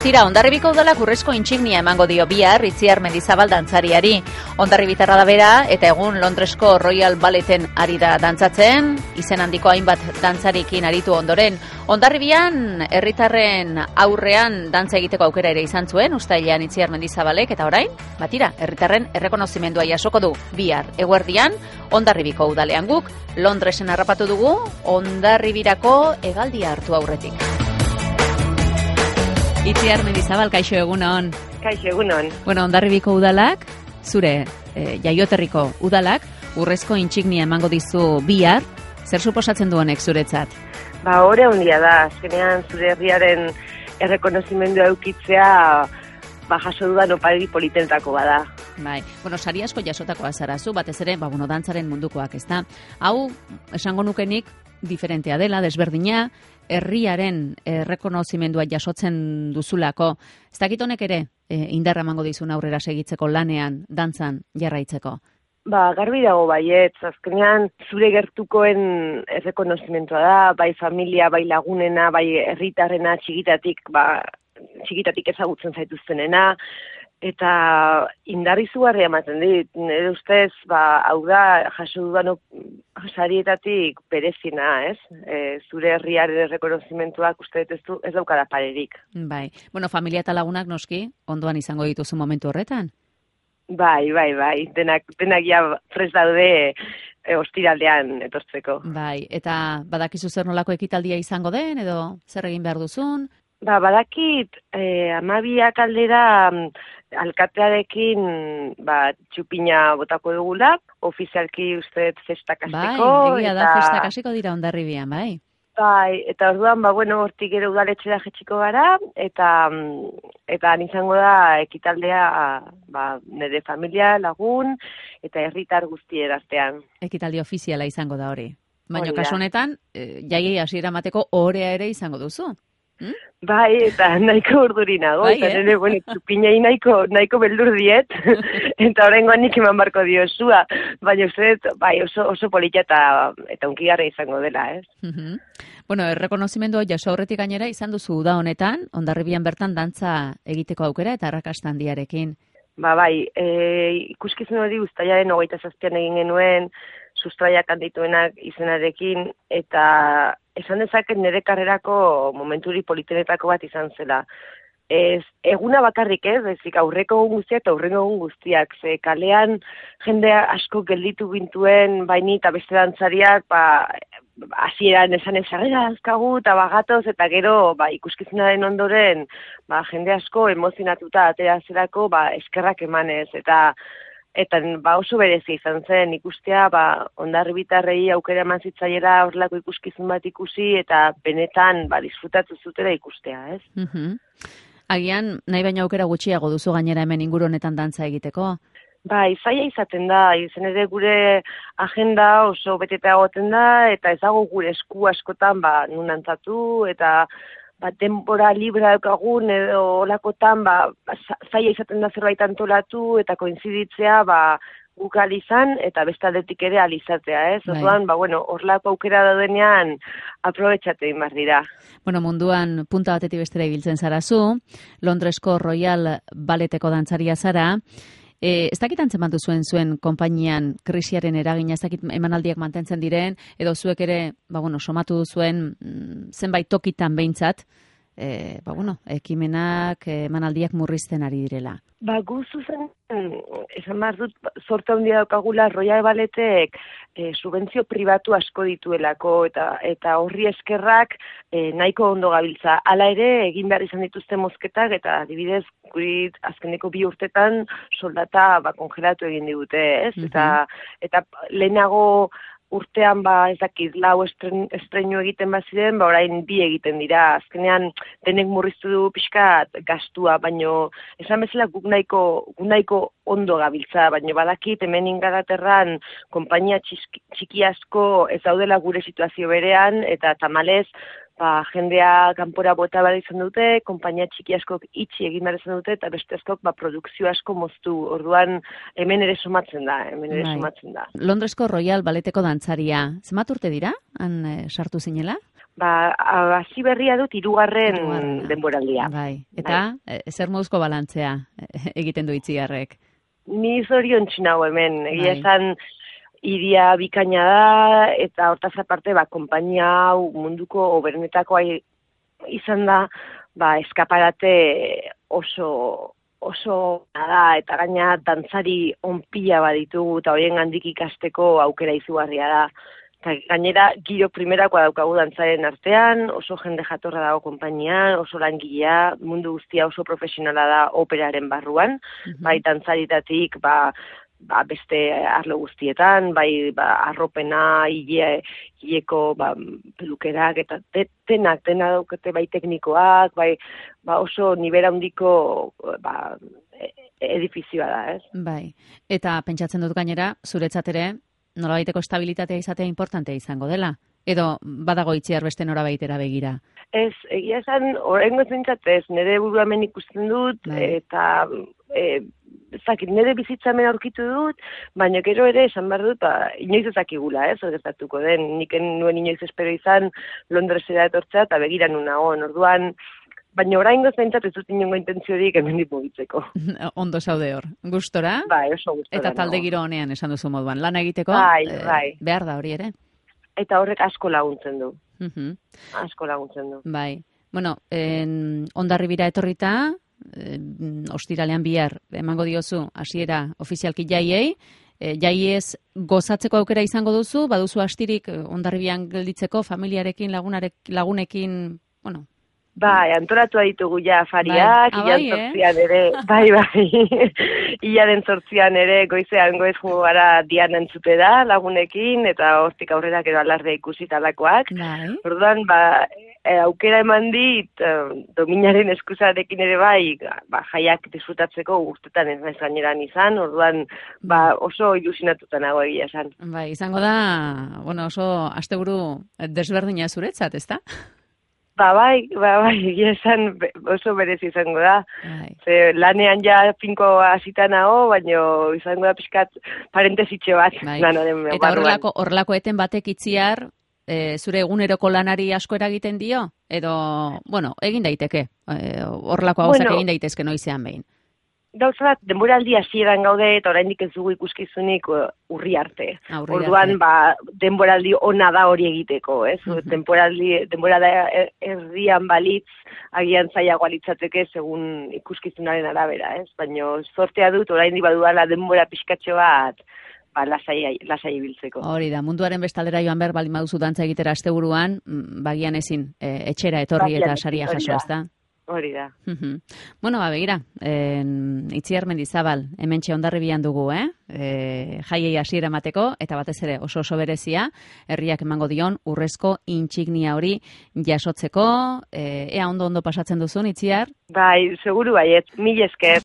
Tira, Hondarribiko udalak urrezko intsignia emango dio bihar Itziar Mendizabal dantzariari. Hondarribitarra da bera eta egun Londresko Royal Balleten ari da dantzatzen, izen handiko hainbat dantzarikin aritu ondoren. Hondarribian herritarren aurrean dantza egiteko aukera ere izan zuen, uztailean Itziar Mendizabalek, eta orain, batira, herritarren errekonozimendua jasoko du bihar eguerdian Hondarribiko udalean. Guk Londresen harrapatu dugu Hondarribirako hegaldia hartu aurretik. Itziar Mendizabal, kaixo egunon. Kaixo egunon. Bueno, Hondarribiko udalak, zure jaioterriko udalak, urrezko intsignia emango dizu bihar, zer suposatzen du honek zuretzat? Ore handia da, azkenean zure herriaren errekonozimendua eukitzea, jaso dudan opari politentako bada. Bai, bueno, sari asko jasotakoa zarazu, batez ere, dantzaren mundukoak, ezta? Hau, esango nukenik, diferentea dela, desberdina, herriaren errekonozimendua jasotzen duzulako. Ez dakit honek ere, indarra emango dizun aurrera segitzeko lanean, dantzan, jarraitzeko? Garbi dago baietz, azkenean zure gertukoen errekonozimentua da, bai familia, bai lagunena, bai herritarrena, txikitatik ezagutzen zaituztenena, eta indar izugarria ematen dit. Nire ustez, hau da, jaso dudan sarietatik berezina, ez? Zure herriaren errekonozimentuak uste ez daukada parerik. Bai. Bueno, familia eta lagunak noski, ondoan izango dituzu momentu horretan? Bai. Denak ja prest daude ostiraldean etortzeko. Bai, eta badakizu zer nolako ekitaldia izango den, edo zer egin behar duzun? Badakit, 12 aldera alkatearekin txupina botako dugula, ofizialki uste festak hasteko. Bai, egia da, festak hasiko dira Hondarribian, bai. Bai, eta orduan, hortik ere udaletxera jetxiko gara, eta izango da ekitaldea nire familia, lagun, eta herritar guztien artean. Ekitaldi ofiziala izango da hori. Baina kasu honetan, jaiei hasiera emateko ohorea ere izango duzu. Bai, eta nahiko urduri nago, eta nire, txupinei nahiko beldur diet, eta horrengoan nik eman barko diozua, baina oso polita eta unkigarra izango dela, ez? Bueno, errekonozimendua jaso aurretik gainera izan duzu da honetan, Hondarribian bertan dantza egiteko aukera eta arrakasta handiarekin. Bai, ikuskizun hori uztailaren 27an egin genuen, sustraiak handituenak izenarekin, eta esan dezaket nire karrerako momenturi politenetako bat izan zela. Eguna bakarrik ezik aurreko egun guztiak eta aurreko egun guztiak. Ze kalean jendea asko gelditu gintuen, baini eta beste dantzariak, hasieran esan ezarrera azkagu eta bagatoz, eta gero ikuskizunaren ondoren jende asko emozionatuta atera zerako eskerrak emanez, eta oso berezia izan zen ikustea, Hondarribitarrei aukera eman zitzaiela horrelako ikuskizun bat ikusi, eta benetan disfrutatu zutela ikustea, ez? Agian, nahi baina aukera gutxiago duzu gainera hemen inguru honetan dantza egiteko? Zaila izaten da, izen ere gure agenda oso beteta egoten da, eta ez dago gure esku askotan nun antzatu, eta denbora libra daukagun edo olakotan zaila izaten da zerbait antolatu, eta koinziditzea guk alizan, eta beste aldetik ere alizatea, ez? Orduan, horlako aukera daudenean aprobetxatu egin behar dira. Bueno, munduan punta batetik bestera ibiltzen zarazu, Londresko Royal Balleteko dantzaria zara, ez dakit antzeman zuen konpainian krisiaren eragina, ez dakit emanaldiak mantentzen diren, edo zuek ere, somatu duzuen zenbait tokitan behintzat, ekimenak, emanaldiak murrizten ari direla. Gu zuzen, esan behar dut, zorte handia daukagula Royal Balletek subentzio pribatu asko dituelako, eta horri eskerrak nahiko ondo gabiltza. Hala ere, egin behar izan dituzte mozketak, eta adibidez, guri azkeneko 2 urtetan soldata kongelatu egin digute, ez? Eta lehenago urtean ez dakit, 4 estreinu egiten baziren, orain 2 egiten dira. Azkenean denek murriztu du pixkat gastua, baino esan bezala guk nahiko ondo gabiltza, baino badakit hemen Ingalaterran konpainia txiki asko ez daudela gure situazio berean, eta tamalez jendea kanpora bota behar izan dute, konpainia txiki askok itxi egin behar izan dute, eta beste askok produkzio asko moztu. Orduan, hemen ere somatzen da. Londresko Royal Balleteko dantzaria, zenbat urte dira, han sartu zinela? hasi berria dut 3. denboraldia. Bai. Eta zer moduzko balantzea egiten du Itziarrek? Ni zoriontsu nago hemen, egia esan iria bikaina da, eta hortaz aparte, konpainia hau munduko oberenetako izan da, eskaparate oso da, eta gaina dantzari onpila baditugu, eta horien gandik ikasteko aukera izugarria da. Eta gainera, giro primerakoa daukagu dantzaren artean, oso jende jatorra dago konpainian, oso langilea, mundu guztia oso profesionala da operaren barruan, bai dantzaritatik, beste arlo guztietan, arropena, hileko pelukerak, eta dena daukate bai teknikoak, oso nibera handiko edifizioa da, ez? Bai, eta pentsatzen dut gainera, zuretzat ere, nolabaiteko estabilitatea izatea importantea izango dela? Edo badago Itziar beste norabaitera begira? Ez, egia esan, oraingoz behintzat ez, nire burua hemen ikusten dut, eta nire bizitza hemen aurkitu dut, baina gero ere esan behar dut, inoiz ezakigula, zer gertatuko den, nik nuen inoiz espero izan Londresera etortzea, eta begira nun nagoen, orduan, baina oraingoz behintzat ez dut inongo intentziorik hemendik mugitzeko. Ondo zaude hor, gustora? Bai, oso gustora. Eta talde giro honean esan duzu moduan, lana egiteko, behar da hori ere? Eta horrek asko laguntzen du. Asko laguntzen du. Bai. Bueno, Hondarribira etorrita, ostiralean bihar emango diozu hasiera ofizialki jaiei, jaiez gozatzeko aukera izango duzu, baduzu astirik Hondarribian gelditzeko familiarekin, lagunekin, bueno, Bai, antolatu ditugu ja afariak, ilan ere, hilaren 8an ere goizean goiz jungo gara dian entzute da lagunekin, eta hortik aurrera gero alarde ikusi talakoak. Orduan, aukera eman dit, dominaren eskusarekin ere jaiak disfrutatzeko urtetan ez naiz gaineran izan, orduan oso ilusionatuta nago egia esan. Bai, izango da, oso asteburu desberdina zuretzat, ezta? Bai, egia esan oso berez izango da. Ze lanean ja finko hasita nago, baina izango da pixkat parentesitxe bat. Eta horrelako eten batek Itziar, zure eguneroko lanari asko eragiten dio? Edo, egin daiteke, horrelako gauzak egin daitezke noizean behin. Gauza bat, denboraldi hasieran gaude eta oraindik ez dugu ikuskizunik urri arte. Orduan, denboraldi ona da hori egiteko, ez? Denboralda erdian balitz, agian zailagoa litzateke segun ikuskizunaren arabera, ez? Baina zortea dut oraindik badudala denbora pixkatxo bat, lasai ibiltzeko. Hori da, munduaren bestaldera joan behar baldin baduzu dantza egitera asteburuan, bagian ezin etxera etorri eta saria jaso, ezta? Hori da. Begira, Itziar Mendizabal, hementxe Hondarribian dugu, jaiei hasiera emateko, eta batez ere oso berezia, herriak emango dion urrezko intsignia hori jasotzeko, ea ondo pasatzen duzun, Itziar? Bai, seguru baiet, mil esker.